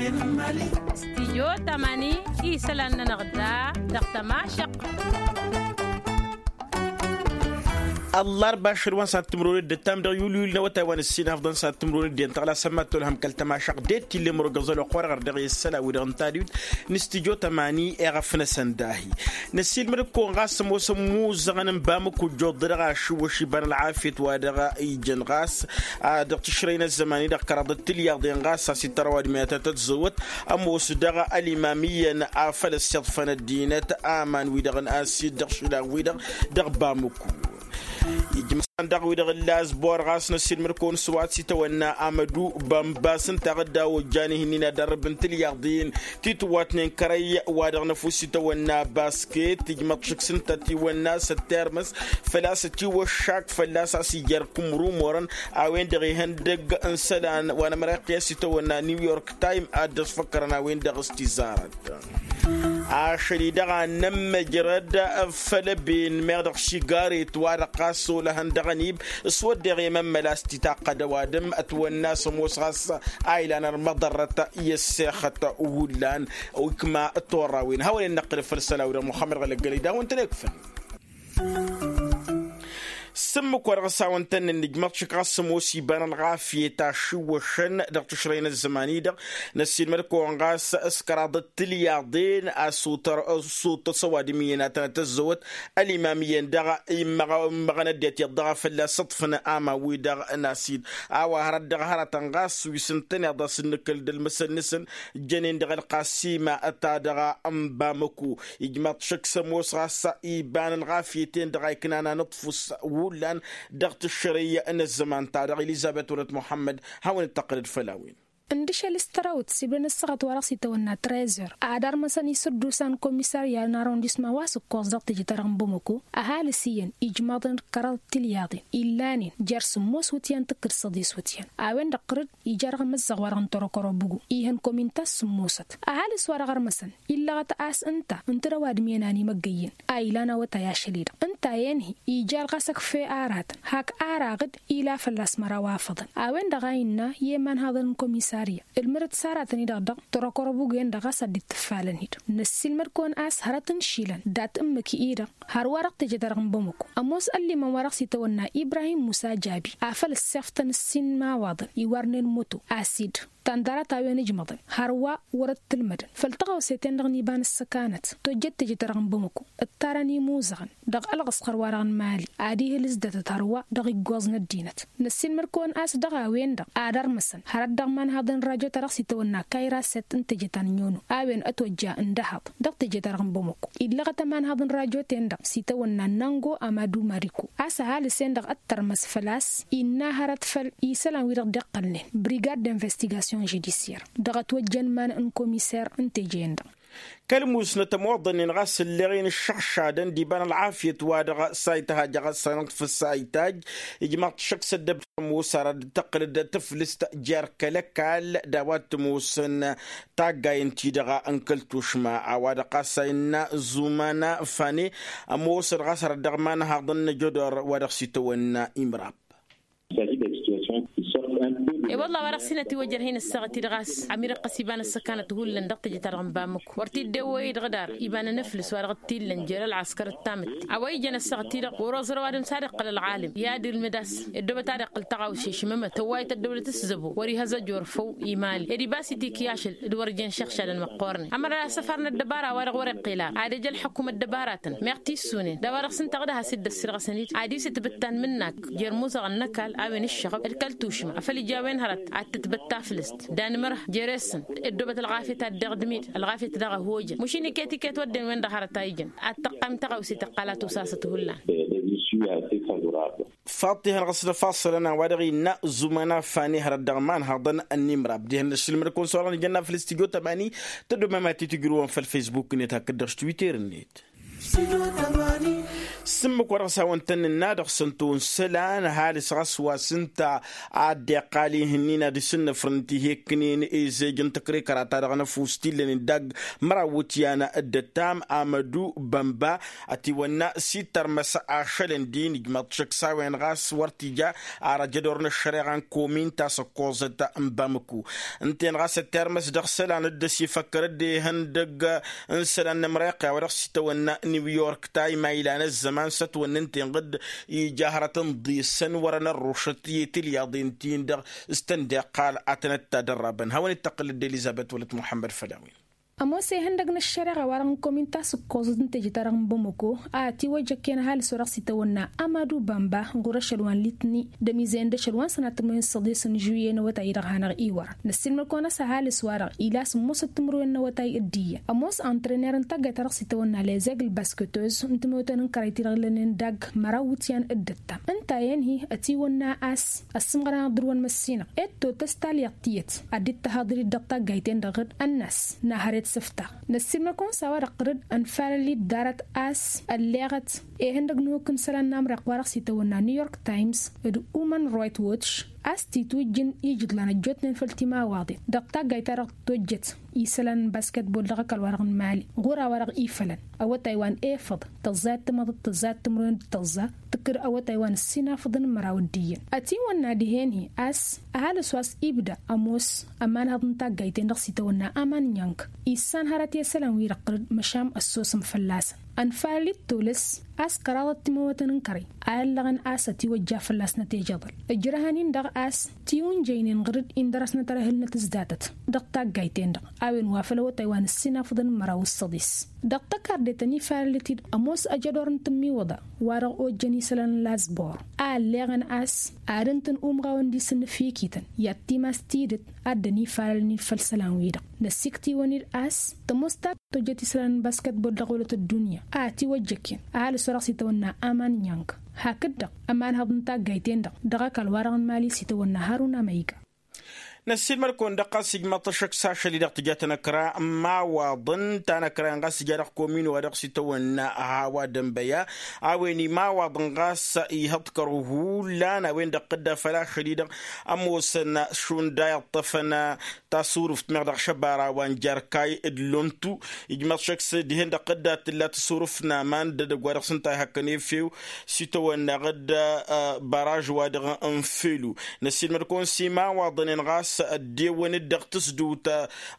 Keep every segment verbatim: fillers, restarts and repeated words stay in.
Stijyo tamani isălan-nănăɣ da dăɣ-tămašăq. Ăllarba ašăl wa n-sănat timǝrwen d-ǝttam dăɣ-yulyul n-awătay wa n-ǝssin afḍăn sănat timǝrwen d-iyyăn tăɣla sămmat tolhăm kăl-tămašăq d-e t-illa imrogăẓ ălwăqq-wa-dăɣ ărdăɣ i-ăssălan-wi-dăɣ n-tadwit n-stijyo tamani. Eɣăf-năsăn dahi năssiilmăd-kăwăn ɣas ămoosăn imuzăɣăn n-bamǝku ǝjjuḍ-dăɣ ašǝwwăš iba n-ălɣafyăt wa dăɣ-ijăn ɣas dăɣ-tǝšrăy n-ăzzăman-i-dăɣ kăraḍăt tǝlyaḍen ɣas a-s ităr ăwadǝm i-ad-tăt-ăzzăwăt ămoos dăɣ-ălimam iyyăn afăl ăssiḍfăn ăddinăt aman-wi-dăɣ n-asid dăɣ-išilan-wi-dăɣ dăɣ-bamǝku. Ijmăsăn dăɣ-wi-dăɣ ǝlla azbor ɣas năssiilmăd-kăwăn s-wa t-sitawănna amădu bănbas ǝnta a dd-awăjjan ihǝnnin ad-ărrǝb n-tǝlyaḍen ti tǝwwatnen kărăy wa dăɣ-năfus itawănna basket ijmăḍ šǝks ǝnta tiwănna s-ăttermăs făl-a-s ătiwăššak fălla-s a-s ija ărkǝmrumorăn a-wen-dăɣ ihăndăgg n-isălan wa n-ămăra iqqǝy a-s itawănna new york time ad-dd-ăsfăkkărăn a-wen-dăɣ s-tizarăt. Ašăl-i-dăɣ a nămmăjrăd făll-ăben meɣ dăɣ-sigaret wa-dăɣ ɣas olăhăn dăɣ-ănib s-wădden i-mămmăla s-titaqqăd ăwadǝm ătwănna s-ămoos ɣas a ilan ărmăḍărrăt i-ăssexăt hullan. Ikma torra-wen hawăn-in-năqqǝlăf făll-isălan-wi-dăɣ muxămmăd ɣălăggălăy d-a-wen-tăn-ekfăn. S-ǝmmǝk wa dăɣ-s hawăn-tăn-nǝnnǝjmăḍ šik ɣas ămoos iba n-ălɣafyăt ašǝwwăšăn dăɣ-tǝšrăy n-ăzzăman-i-dăɣ năssiilmăd-kăwăn ɣas s-kăraḍăt tǝlyaḍen a s-otăr s-otăs ăwadǝm iyyăn ad-tănăt-ăzzăwăt ălimam iyyăn dăɣ-immăɣăn ăddinăt iyyăḍ dăɣ-a fălla-s ǝḍfǝn aman-wi-dăɣ n-asid a-wa hărăt dăɣ-hărătăn ɣas wi s-ǝntăneḍ a-s ǝnnǝkǝl d-ălmǝsăl-năsăn jănen dăɣ-ălqasima ta dăɣ-ănbamăku. Ijmăḍ šăkk s-ămoos ɣas iba n-ălɣafyăt-en-dăɣ a iknan anǝḍfus hullan dăɣ-tǝššărăy n-ăzzăman-ta-dăɣ elizăbet wălăt muḥămmăd. Hawăn-dd-tăqqǝlăd făll-a-wen. Ǝndǝšăl s-tărawt s-ibdăn ǝssaɣăt wa dăɣ-s itawănna trezor ad-armăsăn isǝddusa n-komisarya n-arrondisma wa s-ǝkkoẓ dăɣ-teje-ta-dăɣ n-bamăko. Ăhalǝs iyyăn ijmaḍăn d-kăraḍ tilyaḍen illanen jer-sǝmmos wǝtyan tǝkkǝd săḍis wǝtyan a-wen-dăɣ ɣǝr-dd ija dăɣ-amăzzaɣ wa dăɣ-n torokorobugu ihăn komin ta s-sǝmmosăt. Ăhalǝs wa dăɣ-armăsăn illăɣăt a-s ǝnta ǝntǝd ăwadǝm-en a n-imăggăyyăn a ilan awătay ašăl-i-dăɣ ǝnta a inhi ijal ɣas ăkfe aratăn hak araɣ-dd ila fălla-s măraw afăḍăn. A-wen-dăɣ a innă i-imanhaḍăn n-komisarya ǝlmǝdăt s-aratăn-i-dăɣ dăɣ-torokorobugu-en-dăɣ ɣas ad-dd-tǝffalăn-hi-dăɣ. Năssiilmăd-kăwăn a-s hărăt n-išilan dat-ǝmmǝk-i-dăɣ hărwa dăɣ-teje-ta-dăɣ n-bamăko ămoos ăllimăn wa dăɣ-s itawănna ibrahim musa jabi afăl ăssiɣftăn ǝssin n-imawaḍăn iwarnen moto asid tandărat a-wen ǝjmăḍăn hărwa wăr-ăttǝlmădăn făll-tăɣawse-ten-dăɣ n-iba n-ăssăkanăt tojjăt teje-ta-dăɣ n-bamăko ǝttarăn imuzăɣăn dăɣ-ălɣǝsxăr wa dăɣ-nǝmali ad-ihǝl s-datăt hărwa dăɣ-iggoẓ n-ăddinăt. Năssiilmăd-kăwăn a-s dăɣ-a-wen-dăɣ ad-ărmăsăn hărăt dăɣ-imanhaḍăn n-rajo ta dăɣ-s itawănna kayraset n-teje ta n-nyono a-wen ătwăjja ǝndăhaḍ dăɣ-teje ta dăɣ-n bamăko illăɣăt ămanhaḍ n-rajo-ten-dăɣ s-itawănna nango amadu mariko a-s ăhalǝs-en-dăɣ ăttărmăs făl-a-s innă hărăt făll-isălan-wi-dăɣ dd-iqqălnen brigad d-investigation judisier dăɣ-ătwăjjăn iman n-komiser n-teje-en-dăɣ. Kăl-musnăt ămoḍănnen ɣas ǝlleɣ-in ǝššăɣšadăn d-iba n-ălɣafyăt wa dăɣ-sayt hajja ɣas a nǝḍfǝs sayt hajj. Ijmaḍ-t šăkk s-ăddăb tămoos ara dd-tăqqǝlăd taflǝst jer-kăl-ăkall d-a-wa t-ămoosăn taggayen-ti-dăɣ n-kăl-tušma a-wa-dăɣ ɣas a innă zumana fane. Ămoosăd ɣas ara dd-dăɣ-imanhaḍăn n-ajădor wa dăɣ-s itawănna imrab. E-wălla a-wa dăɣ-s hin-ătiwăjjăr hin-ăssaɣăt-dd ɣas ămir iqqăs iba n-ăssăkanăt hullan dăɣ-teje-ta-dăɣ n-bamǝk wăr t-dd-ewwăy-dd ɣǝdar iba n-anăflǝs wa dăɣ-t-illan jer-ălɣăskăr d-tamǝtte a-wa ijăn ăssaɣăt-i-dăɣ wăr-oẓăr ăwadǝm s-ad-iqqăl ălɣalǝm i-ad-ilmǝd a-s ăddoobăt ad-iqqăl tăɣawse šimǝmăt tăwwayăt ăddăwlăt s-zăbo wăr-ihăzăj orfăw imali ed ibas itikyašăl d-wăr jen šăɣšadăn măqqoornen ămăra asăfar n-ăddăbara wa-dăɣ wăr-iqqel ar ad-ej ălḥăkum ăddăbaratăn meɣ tissunen d-a-wa dăɣ-s ǝnta ɣǝd a has-dd-ăssirɣăsăn-dd ad-isǝtbǝttan mǝnnak jer-imuzăɣăn n-ăkall a-wen ǝššăɣăb d-kăl-tušma afăl ija a-wen hărăt ad-tǝtbăt taflǝst d-anǝmărh jere-săn ăddoobăt ălɣafyăt ad-deɣ d-imid ălɣafyăt daɣ ăhojăn mašin iket-iket wădden-wen-dăɣ hărăt a ijăn ad-tăqqayǝm tăɣawse tăqqal a tusasăt hullan. Faḍt ihăn ɣas d-ăfassălăn a-wa-dăɣ innă zumana fani hărăt dăɣ-imanhaḍăn n-imrab dihen ăššilmăd-kăwăn s-oɣălăn ijănna făll-s tijot ămani. Tăddomem ad-t-tijrǝwăn făll-facebook-net hakd dăɣ-s twitter-net. S-ǝmmǝk wa dăɣ-s hawăn-tăn-nǝnna dăɣ-săn tonsălan ăhalǝs ɣas wa s-ǝnta a dd-iqqal ihǝnnin ad-isǝnnǝfrǝn tiheknen ezej n-tăkrikăra ta dăɣ-năfus t-illănen dagg măraw wǝtyan d-ăttam amădu bănba. Ătiwănna s-ittărmăs ašălăn-di nǝjmăḍ šăkk s-a-wen ɣas wăr t-ija ar ajădor n-ăššăreɣa n-komin ta s-ăkkoẓăt n-bamăku. Ǝnta-en ɣas ăttermăs dăɣ-isălan dd-ăsifăkkăr dd-ehăndăgg n-isălan n-ămriqya wa dăɣ-s itawănna new york time a ilan ăzzăman s-ătwănna ǝnta-en ɣǝdd ija hărăt n-iḍisăn wărăn ărrušăt i-tilyaḍen-tin-dăɣ s-tăn-dd-iqqal ad-tăn-ăttadărrabăn hawăn-dd-tăqqǝlăd d-elizăbet wăla t-muḥămmăd făll-a-wen. Ămoos ihăndăg n-ăššăreɣa-wa-dăɣ n-komin ta s-ǝkkoẓăt n-teje-ta-dăɣ n-bamăko a ătiwăjjăkken ăhalǝs wa dăɣ-s itawănna amadu bamba ɣur-ašăl wa n-litni d-ămizăyăn d-ašăl wa n-sănat timǝrwen s-săḍis n-žuye n-awătay-i-dăɣ hanăɣ-iwărăn năssiilmăd-kăwăn a-s ăhalǝs-wa-dăɣ ila sǝmmosăt timǝrwen n-awătay d-iyyăn ămoos antrăner n-taggayt-ta-dăɣ s-itawănna lezeg l-baskătoz n-timǝwtăn n-kărăyt-i-dăɣ ǝllănen dagg măraw wǝtyan d-ăttam ǝnta a inhi ătiwănna a-s ăssǝmɣăr-anăɣ dăr-wăn măssinăɣ ed totăs talyăḍt tiyyăt ad-dd-tăhaḍăr-dd dăɣ-taggayt-en-dăɣ dd-ănnas n-ad-hărăt s-ǝftaɣ năssiilmăd-kăwăn s-a-wa-dăɣ ɣǝr-dd ănfalăl-dd ḍarăt a-s ălleɣăt ihăndăg n-ehukk n-isălan n-amriq wa dăɣ-s itawănna new york times d-human rights watch a-s t-itwǝjjǝn ijǝḍlan ăjjootnen făll-timawaḍen dăɣ-taggayt-ta-dăɣ tojjăt isălan n-basketbol dăɣ-ăkall-wa-dăɣ n-imali ɣur-a-wa-dăɣ ifălăn awătay wa n-efăḍ tăẓẓayăt timăḍăt tăẓẓayăt timǝrwen d-tăẓẓa tǝkkǝd awătay wa n-ǝssinafăḍăn n-măraw d-iyyăn ătiwănna dihen-hi a-s ăhalǝs wa s-ibda ămoos ămanhăḍ n-taggayt-en-dăɣ s-itawănna aman n-iñk issan hărăt i-isălan-wi-dăɣ tărǝd măšan ăssosăm fălla-săn ănfalăl-dd tolăs a-s kăraḍăt timǝwwătăn n-kărăy a ăllăɣăn a-s ătiwăjja fălla-s năteje iḍăl ǝjrăhăn-in-dăɣ a-s tiwǝnjăynen ɣǝr-dd indăr-asnăt ărăhǝlnăt s-datăt dăɣ-taggayt-en-dăɣ a-wen wa făl awătay wa n-ǝssinafăḍăn n-măraw s-săḍis dăɣ-tăkarde tăn-ifalăl-t-dd ămoos ajădor n-tǝmmiwǝḍa wa-dăɣ ojjăn isălan n-lazbor a ălleɣăn a-s ad-ǝntǝn umɣawăn d-isǝnnǝfikităn i-ad-timas tidǝt a dd-ănifalălnen făll-isălan-wi-dăɣ năssikt'-iwăn-dd a-s tămoos ta tojjăt isălan n-basketbol dăɣ-olăt ăddunya a ătiwăjjăken ăhalǝs wa dăɣ-s itawănna aman n-iñk hakd-dăɣ ămanhăḍ n-taggayt-en-dăɣ dăɣ-ăkall wa-dăɣ n-imali s-itawănna haruna ma iga. Năssiilmăd-kăwăn-dăɣ ɣas ijmăḍ-t ăššăk s-ašăl-i-dăɣ tǝja tanăkra n-imawaḍăn tanăkra-en ɣas tǝja dăɣ-komin wa dăɣ-s itawănna hawa dănbăya a-wen imawaḍăn ɣas ihăḍkăr hullan a-wen-dăɣ tǝdda făll-ašăl-i-dăɣ ămoosăn šund a iṭṭăfăn tasurǝft meɣ dăɣ-šăbara wa n-jarkay d-lontu. Ijmăḍ šăkk s-dihen-dăɣ tǝdda tǝlla tasurǝft n-aman d-edăgg wa dăɣ-s ǝnta ihăkkăn efew s-itawănna ɣǝd baraž-wa-dăɣ n-felu. Năssiilmăd-kăwăn s-imawaḍăn-en ɣas ăddewăn-dd dăɣ-tǝsdǝwt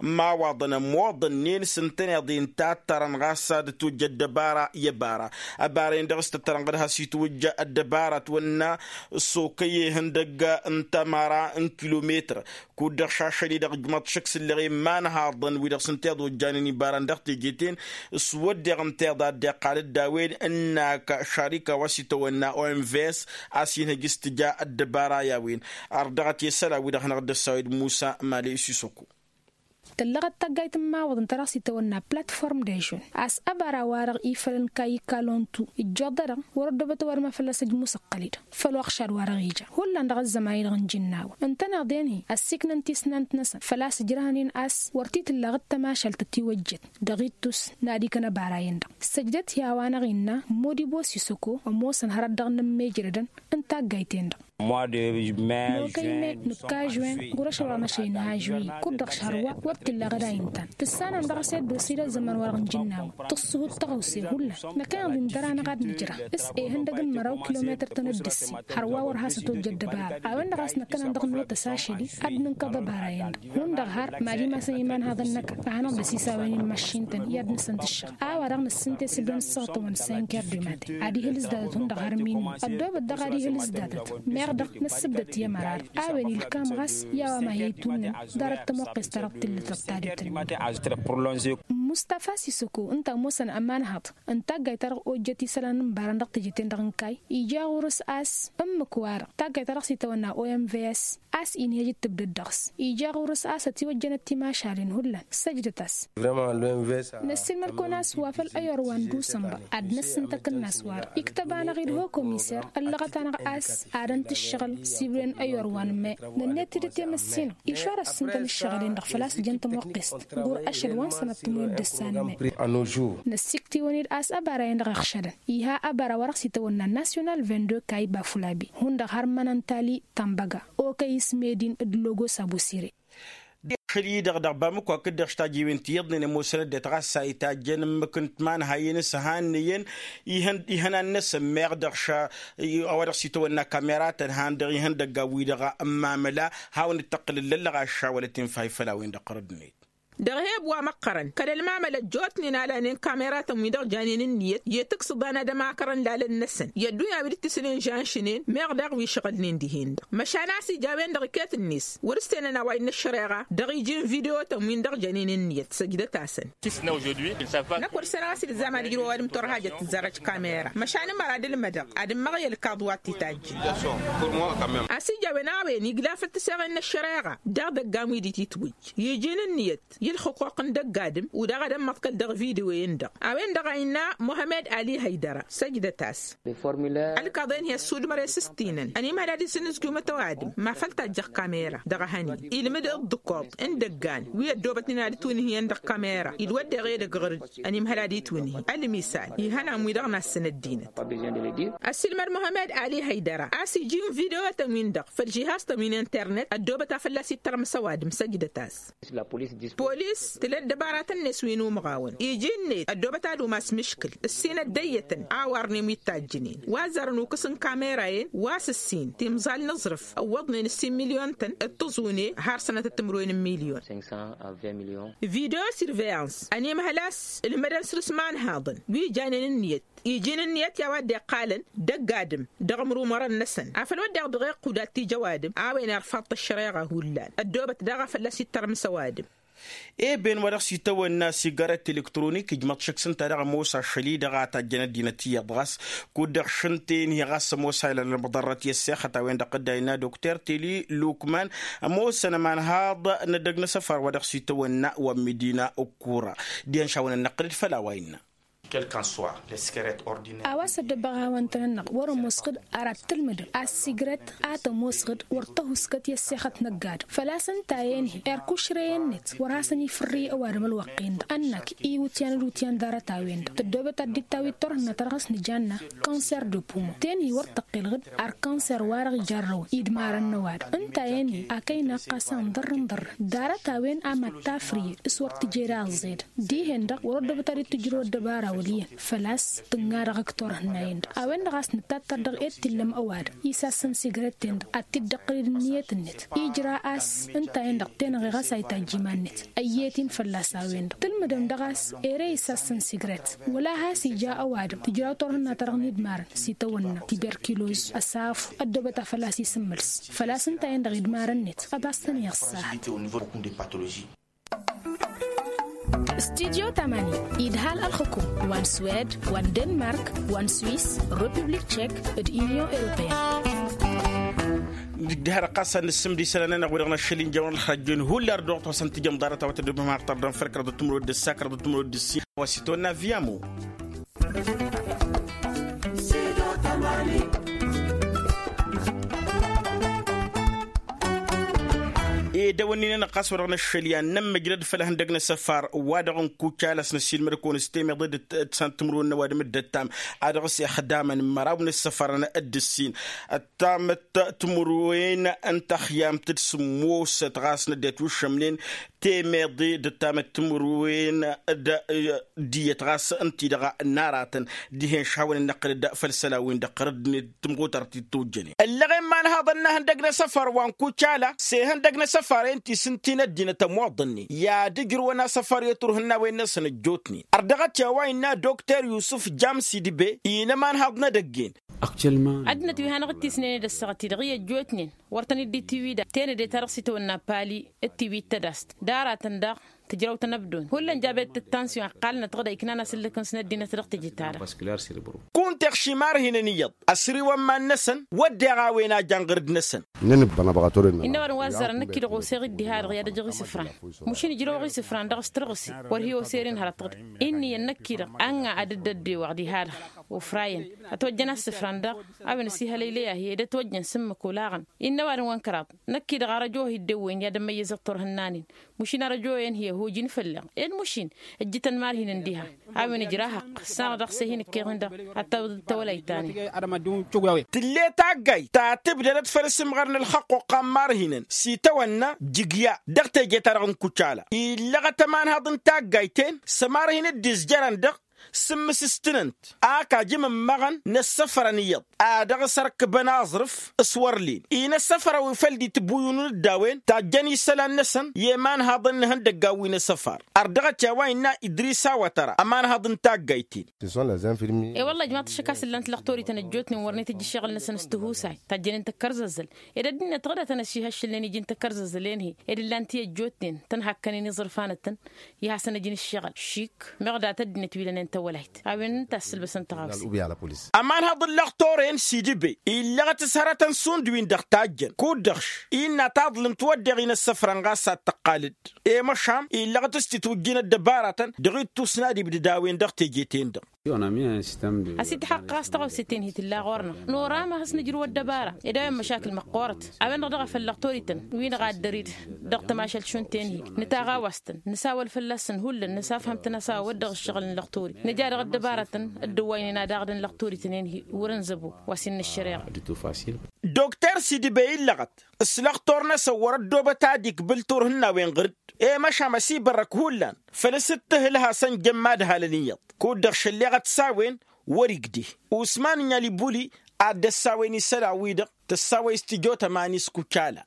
n-imawaḍăn ămmoḍănnen s-ǝntăneḍ-i ǝnta a ǝttărăn ɣas ad-tojja ăddăbara i-ăbara ăbara-en-dăɣ s-tǝttărăn ɣǝd has-itwǝjja ăddăbara ătwănna s-okăy ihăndăgg n-tămăra n-kilometăr. Kud-dăɣ šašăl-i-dăɣ ǝjmăḍ šăkk s-ǝlleɣ i-imanhaḍăn wi-dăɣ s-ǝnta i-ad-ojjanen ibaran dăɣ-teje-ten s-wădden ǝnta iḍa dd-iqqal dd-a-wen ǝnnak šarika wa s-itawănna omvs a-s inhăj s-tǝja ăddăbara i-a-wen. Ar dăɣ-t i-isălan-wi-dăɣ hanăɣ-dd-ăssawăy d-musa mali s-isoko. Tăllăɣăt taggayt n-imawăḍăn ta dăɣ-s itawănna platform dežon a-s ăbara-wa-dăɣ ifălăn kayika lontu ǝjjoḍ-dăɣ wăr-ăddoobăt ăwadǝm a fălla-s ăjmusăqqăl-i-dăɣ făll-wa ăɣšad-wa-dăɣ ija. Hullan dăɣ-ăzzăman-i-dăɣ n-jǝnnawăn ǝntăneḍ-en-hi ăssiiknăn tisnant-năsăn făl-a-s ǝjrăhăn-in a-s wăr t-tǝlla ɣǝd-tămašalt ătiwăjjet dăɣ-ittus n-ad-ikăn ăbara-en-dăɣ. Săjdăt i-a-wa-năɣ innă modibo s-isăko ămoosăn hărăt dăɣ-inǝmmejrădăn n-taggayt-en-dăɣ. Nokăy me nǝkka žwen ɣur-ašăl wa dăɣ-năšăy n-ha žwen kud-dăɣ šăr wa wăr t-illa ɣǝd a intan tǝssanăm dăɣ-s i-ăddosăy d-ăzzăman wa dăɣ-nǝjǝnnaw tǝṣṣuhut tăɣawse hullan. Năkkăneḍ-in dăr-anăɣ ad-nǝjrăh s-ehăndăg n-măraw kilometăr-tăn dd-ǝssin hărwa wăr has-ătojja ăddăbara. A-wen-dăɣ a-s năkkăneḍ dăɣ-notăs ašăl-i ad-nǝnkăḍ ăbara-en-dăɣ hundăɣ har mad-imasăn imanhaḍăn-năkăn a hanăɣ-dd-ăsisawen i-inmăššin-tăn i-ad-nǝsăn-tǝššăɣ. A-wa-dăɣ năssǝnte s-ǝbdăn s-săɣtăwăn s-enker d-imaten ad-ihǝl s-datăt hundăɣ har minnu ăddoobăt daɣ ad-ihǝl s-datăt meɣ dăɣ-năssǝbdăt i-ămăra-dăɣ. A-wen ilkam ɣas i-a-wa ma hi-itunnǝn ḍarăt tămoqqes-ta-dăɣ tǝllǝtăt tadut-ǝnnin. Mustafa sisăko ǝnta ămoosăn ămanhăḍ n-taggayt-ta-dăɣ ojjăt isălan n-ibarăn dăɣ-teje-ten-dăɣ n-kayy ija ɣur-s a-s ǝmmǝk-wa-dăɣ taggayt-ta-dăɣ s-itawănna omvs a-s inhej d-tǝbdăd dăɣ-s ija ɣur-s a-s ătiwăjjănăt timašalen hullan. Săjdăt-as. Năssiilmăd-kăwăn a-s wa făl ăyor wa n-dusănbăr ad-năssǝntăk ǝnnas-wa-dăɣ iktăb-anăɣ-dd ho-komiser ăllăɣăt-anăɣ a-s adăn-t ǝššăɣǝl s-ibrăyăn ăyor wa n-me nănnet-dd i-temăssinăɣ išor ăssǝntăn ǝššăɣǝl-en-dăɣ făl-a-s ǝjăn tămoqqest ɣur-ašăl wa n-sănăt tǝmwen. dăr-s anămay. Năssikt'-iwăn-dd a-s ăbara-en-dăɣ iɣšădăn iha ăbara wa dăɣ-s itawănna nasyonal vingt-deux kayba fulabi hundăɣ har mănăntali tambăga okăyis medin d-logos abusire. Dăɣ-ašăl-i-dăɣ dăɣ-bamăko hakd-dăɣ štajiwen ti iyyăḍnen ămoosăn ăddinăt ɣas a itajjăn ǝmmǝk n-timanhayen s-ăhannăyăn ihănan-năsăn meɣ dăɣ-ša a-wa dăɣ-s itawănna kameratăn han dăɣ-ihăndăggan-wi-dăɣ n-imamăla. Hawăn-dd-tăqqǝl ǝllăllăɣ aššawălăt infa ifăl a-wen-dăɣ ɣărăd-net. Dăɣ-eheb wa măqqărăn kăl-ălmamăl ăjjootnen a lanen kameratăn-win-dăɣ janen ǝnniyăt i-tǝksǝḍan ad-ămakărăn lalăn-năsăn i-ăddunya wi dd-tisǝnen žanšǝnen meɣ daɣ wi šăɣǝlnen dihen-dăɣ măšan a-s ija a-wen-dăɣ iket-net wăr-ǝssenăn a-wa innă ăššăreɣa dăɣ-iji n-videwotăn-win-dăɣ janen ǝnniyăt săjdăt-asăn. Năkk wăr-ǝssenăɣ a-s ilzam ad-ǝjrǝw ăwadǝm turhajăt tǝzzarăj kamera măšan ǝmăra d-ǝlmădăɣ ad-ǝmmăɣ i-ălkaḍ wa t-itajjǝn. A-s ija a-wen a-wen igla făll-tǝseɣen n-ăššăreɣa daɣ dăggan wi d-ititwǝjj iji n-ǝnniyăt i-ălxǝquq n-dăgg-adǝm. Udaɣ ad-ămmăḍkăl dăɣ-video-en-dăɣ a-wen-dăɣ a innă muhămed ali hăydăra săjdăt-as. Ălkaḍen-hi ăssudmăr-e s-ǝstinăn ănimhăl ad-isǝnnǝzjumăt ăwadǝm ma făl-tajjăɣ kamera dăɣ-ehăn-in ilmǝd ǝḍḍǝkoḍ n-idăggan wi ăddoobătnen ad-ǝtwǝnhǝyăn dăɣ-kamera. Id-wădden ɣed ăgrǝd ănimhăl ad-itwǝnhǝy ălmisal ihănan-wi-dăɣ n-assăn ăddinăt. Ăssiilmăd muhămed ali hăydăra a-s iji n-video-tăn-win-dăɣ făll-žihaz-tăn wi n-internet ăddoobăt a fălla-s ittărmǝs ăwadǝm săjdăt-as. Polis tǝla dd-ăbaratăn-net wi n-umɣawăn iji-net ăddoobăt ad-umas mǝškǝl ǝssin ăddăyyătăn a warnen wi t-tajjǝnen wa ăzzarăn ukǝs n-kamera-en wa s-ǝssin timẓal n-aẓrǝf ǝwwăḍnen ǝssin milyon-tăn d-tǝẓune har sănătăt timǝrwen n-milyon. Video surveillance ănimhăl a-s ǝlhǝmădăn săr-s imanhaḍăn wi janen ǝnniyăt iji n-ǝnniyăt i-a-wa dd-iqqalăn dăgg-adǝm dăɣ-imrumărăn-năsăn afăl wădden dăɣ-iqqud ad-t-ija ăwadǝm a-wen irfaḍ-t ăššăreɣa hullan ăddoobăt daɣ a fălla-s ittărmǝs ăwadǝm. Ebe-n wa dăɣ-s-itawănna sigaret elektronik ijmăḍ šăkk s-ǝnta daɣ ămoos ašăl-i-dăɣ a tajjăn ăddinăt iyyăḍ ɣas kud-dăɣ šǝnten-hi ɣas ămoos a ilălăn măḍărrăt i-ăssexăt a-wen-dăɣ dd-a innă dokter teli lukman. Ămoosăn ămanhaḍ n-edăgg n-asăfar wa dăɣ-s itawănna wa n-medina ǝkkura dihen šawăn-ănnăqqǝlăd făll-a-wa innă. A-wa s-ăddăbăɣawăn-tăn-ănnăɣ wăr-ămoosăɣ-dd. Ara d-tǝlmǝdăm a-s sigrăt a tămoosăɣ-dd wăr tăhusgăt i-ăssexăt n-ăgg-adǝm făl-a-s ǝnta-en-hi erk ušrăy-net wăr hasăn-ifǝrrǝy ăwadǝm ălwăqq-en-dăɣ ănnăk iwǝtyan d-iwǝtyan ḍarăt-a-wen-dăɣ tăddoobăt ad-dd-ittawǝy turhǝnna ta dăɣ-s nǝjanna kanser de pumo. Ten-hi wăr tăqqelăɣ-dd ar kanser-wa-dăɣ ijarrăwăn idmarăn n-ăwadǝm ǝnta-en-hi a kăy-naqqas a ǝnḍărrǝnḍărrăn ḍarăt-a-wen a mad-tafrǝyed s-wăr tǝjed a ăẓẓed. Dihen-dăɣ wăr-ăddobăt ad-dd-tǝjrăw ăddăbara wăl' iyyăn făl-a-s tǝnna dăɣ-ǝkk turhǝnna-en-dăɣ a-wen-dăɣ a-s nǝttattăr dăɣ-e d t-illăm ăwadǝm isassăn sigrăt-ten-dăɣ ad-t-dd-ăqqǝlǝd ǝnniyăt-net ijra a-s ǝnta-en-dăɣ tenăɣe ɣas a itajj iman-net. Ăyyet-in fălla-s a-wen-dăɣ tǝlmǝdăm dăɣ-a-s ere isassăn sigrăt wăla has-ija ăwadǝm tǝjraw turhǝnna-ta-dăɣ n-idmarăn s-itawănna tiberkiloz ăsafu ăddoobăt a făl-a-s isǝmmǝls făl-a-s ǝnta-en-dăɣ idmarăn-net ăbas-tăn iɣǝssahăt. Studyo tamani idhal ălxǝkum wa n-swed wa n-denmark wa n-swis republik tchek d-union européenne. Dihar ɣas ad-nǝssǝmd isălan-nănăɣ wi-dăɣ n-ašăl injăwăn ălxărăjjăn hullan dăɣ-tawăsăn tijăm ḍarăt a-wa tăddobem har tărdăm făll-kăraḍăt timǝrwen d-ǝssa kăraḍăt timǝrwen d-ǝssin wa s-itwănna viyamo. Ed ăwănnin-anăɣ ɣas wa dăɣ-năššăl i-ad-nămmăjrăd făll-ihăndăg n-asăfar wa dăɣ-nǝkucal a-s năssiilmăd-kăwăn s-temeḍe d-ǝtsan timǝrwen n-ăwadǝm d-ăttam a dăɣ-s ixdamăn măraw n-asăfarăn d-ǝssin ăttamăt timǝrwen n-taxyamt d-sǝmmosăt ɣas n-ăddinăt wi ǝššămnen temeḍe d-ăttamăt timǝrwen d-iyyăt ɣas ǝnta-i-dăɣ n-aratăn dihen šahawăn-in-năqqǝlăd făll-isălan-win-dăɣ ɣărăd-net tǝmɣutarăt-dd tojjănen ăllăɣen imanhaḍăn n-ehăndăg n-asăfar wa n-kucala s-ehăndăg n-asăfar-en ti s-ǝnta-i n-ăddinăt ămoḍănnen i-ad-ǝjrǝwăn asăfar i-turhǝnnawen-năsăn ăjjootnen. Ărdăɣăt i-a-wa innă dokter yusǝf jamsidbe-i n-ămanhaḍ n-edăgg-en. Ăddinăt wi hanăɣ-dd-tisnen d-ăssaɣăt-i-dăɣ i-ăjjootnen wăr tăn-dd-itiwǝy daɣ tenăde ta dăɣ-s itawănna pali d-tiwǝy d-tădast d-aratăn daɣ tǝjrăw-tăn ăbdon hullan jabet d-tansyon ăqqalnăt dăɣ-da iknan asǝllǝk-năsăn ăddinăt dăɣ-teje-ta-dăɣ. Kunta iɣšim ar hin-ăniyyăḍ ăsriwăn iman-năsăn wădden a-wen a jan ɣǝrǝd-năsăn. Innă ăwadǝm wa ăzzarăn năkk-i-dăɣ oseɣ-dd diha-dăɣ i-ad-ăjăɣ isǝfran mušin ǝjrăwăɣ isǝfran dăɣ-s tărɣǝse wăr hi-oser-in hărăt-dăɣ-dd. Inn'-iyyăn năkk-i-dăɣ anga ad-dd-ăddewăɣ diha-dăɣ. Ofrayăn ătwăjjăn assǝfran-dăɣ a-wen ăsihălăylăy-ahi ed ătwăjjăn s-ǝmmǝk olaɣăn. Innă ăwadǝm wa n-kăraḍ năkk-i-dăɣ arăjo-hi dd-ewwăyăn i-ad-ămmăyyăzăt turhǝnnan-in. Mušin arăjo-en-hi ăhojǝn fălla-ɣ ed mušin ǝjjǝtăn marhinăn diha. A-wen ǝjrah ăqq ǝssanăɣ dăɣ-s ehǝnǝk-iɣǝn-dăɣ ad-tawǝḍǝd tawălayt-ta-nin. Tǝll'-e taggayt ta tǝbdădăt făll-asǝmɣar n-ălxăqq oqqam marhinăn s-itawănna jǝgya dăɣ-teje-ta-dăɣ n-kucala illăɣăt ămanhăḍ n-taggayt-en s-ămarhin dd-izjărăn dăɣ-sǝmmǝs s-tinǝnt ak ajǝm ǝmmăɣăn n-ăssăfărăn iyyăḍ a dăɣ-s ărkǝbăn aẓrǝf s-wăr lin-i n-ăssăfăr a-wi făl dd-itbuyǝnun d-a-wen tajjăn isălan-năsăn i-imanhaḍăn n-ihăndăggan wi n-asăfar. Ar dăɣ-t i-a-wa innă idris awătăra ămanhaḍ n-taggayt-in. E-wălla ǝjmaḍ-t ašăk a-s ǝllan-t lăxtorităn ăjjootnen wăren itǝjj ǝššăɣǝl-năsăn s-tihusay tajjănen tăkkărzăzzăl ed ăddinăt ɣǝdătăn ăšihăššǝlnen iji n-tăkkărzăzzăl-en-hi ed ǝllan-t i-ăjjootnen tăn-hakkănen iẓrǝfanătăn i-hasăn-ăj n-ǝššăɣǝl šik meɣ dat ăddinăt wi lănen tawălayt. A-wen ǝnta a ǝssǝlbăsăn tăɣawse. Ămanhăḍ n-lăxtor-en sidǝbe illăɣăt s-hărătăn šund-win-dăɣ tajjăn kud-dăɣ š-innă taḍlǝmt wădden-in ăssăfrăn ɣas ad-tăqqal-dd i-măšan illăɣăt s-titwǝjjǝn ăddăbaratăn dăɣ-ittus n-ad-ibdǝd a-wen dăɣ-teje-ten-dăɣ. Ăsitḥăqqăɣ a-s tăɣawse-ten-hi tǝlla ɣur-năɣ nora ma has-nǝjrǝw ăddăbara ed a-wen măšakǝl măqqoorăt. A-wen-dăɣ daɣ a făl lăxtorităn wi n-ɣaddăr-dd dăɣ-tămašăl šund-ten-hi nǝtaɣawast-tăn nǝsawăl fălla-săn hullan nǝsafhăm-tăn a-s a-wa wădden ăššăɣǝl n-lăxtori nǝja dăɣ-ăddăbarătăn dd-ǝwwăynen ad-aɣdăn lăxtorităn-en-hi wăr-ǝnzăbo wa s-innă ăššăreɣa. Dokter sidǝbe illăɣăt s-lăxtor-năsăn wăr-ăddoobăt ad-ikbǝl turhǝnnawen ɣǝr-dd i-măšan ăsibărrăk hullan făl-s d-tǝhǝl hasăn-jăn mad-halăn iyyăḍ kud-dăɣ šălleɣăt s-a-wen wăr-igdeh usman n-alibuli ad-dd-ăssawen isălan-wi-dăɣ tăssawăy s-tijot ămani s-kucala.